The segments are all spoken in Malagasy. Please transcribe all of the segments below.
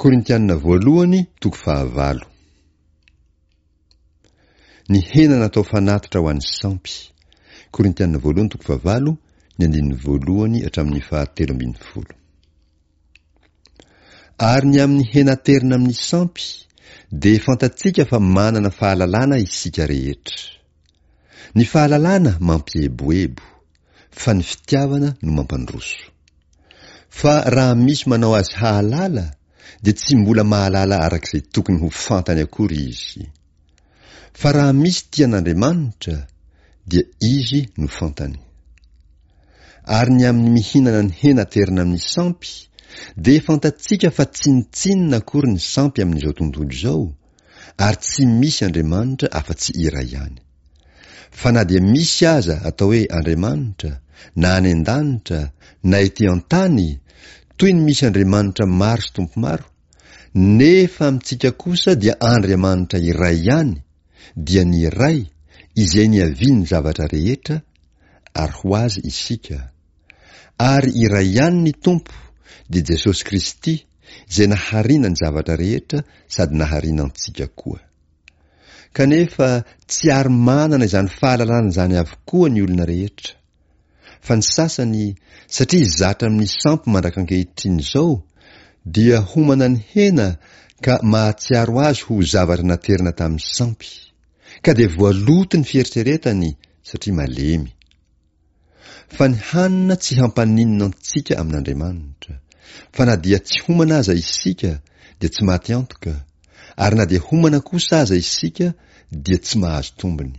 Korintiana voalohany toko fahavalo. Ny hena natao fanatitra ho an'ny sampy. Korintiana voalohany toko fahavalo, ny andininy voalohany hatramin'ny fahatelo ambin'ny folo. Ary ny amin'ny hena aterina amin'ny sampy, dia fantatsika fa manana fahalalana isika rehetra. Ny fahalalana mampieboebo, fa ny fitiavana no mampandroso. Fa raha misy manao azy hahalala, dia tsy mbola mahalala araka izay tokony ho fantany akory izy. Fa raha misy tia an'Andriamanitra, dia izy no fantany. Ary ny amin'ny mihinana ny hena aterina amin'ny sampy, dia fantatsika fa tsinontsinona akory ny sampy amin'izao tontolo izao, ary tsy misy Andriamanitra afa-tsy iray ihany. Fa na dia misy aza atao hoe Andriamanitra, na any an-danitra, na ety an-tany, toy ny misy andriamanitra maro sy tompo maro, nefa amintsika kosa dia Andriamanitra iray ihany, dia ny Ray, izay niavian'ny zavatra rehetra, ary ho Azy isika. Ary iray ihany ny Tompo, dia Jesosy Kristy, izay nahariana ny zavatra rehetra sady nahariana antsika koa. Kanefa tsy ary manana izany fahalalana izany avokoa ny olona rehetra. Fa ny sasany, satria zatra amin'ny sampy mandrak'ankehitriny izao, dia homana ny hena ka mahatsiaro azy ho zavatra naterina tamin'ny sampy. Ka dia voaloto ny fieritreretany satria malemy. Fa ny hanina tsy hampaninona antsika amin'Andriamanitra. Fa na dia tsy homana aza isika dia tsy maty antoka, ary na dia homana kosa aza isika dia tsy mahazo tombony.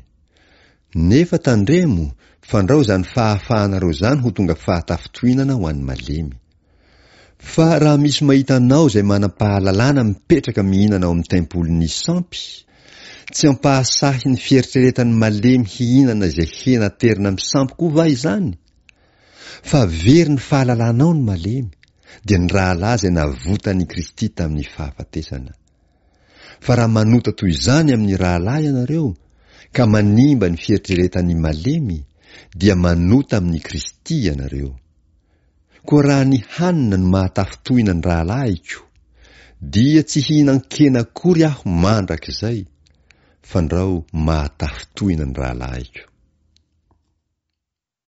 Nefa tandremo fandrao izany fahafahanareo izany ho tonga fahatafintohinana ho an'ny malemy. Fa raha misy mahita anao izay manam-pahalalana mipetraka mihinana ao amin'ny tempolin'ny sampy, tsy hampahasahy ny fieritreretan'ny malemy hihinana izay hena aterina amin'ny sampy koa va izany? Fa very ny fahalalanao ny malemy, dia ny rahalahy izay navotan'i Kristy tamin'ny fahafatesana. Fa raha manota toy izany amin'ny rahalahy ianareo, ka manimba ny fieritreretan'ny malemy, dia manota amin'i Kristy ianareo. Koa raha ny hanina no mahatafintohina ny rahalahiko, dia tsy hihinan-kena akory aho mandrakizay, fandrao mahatafintohina ny rahalahiko.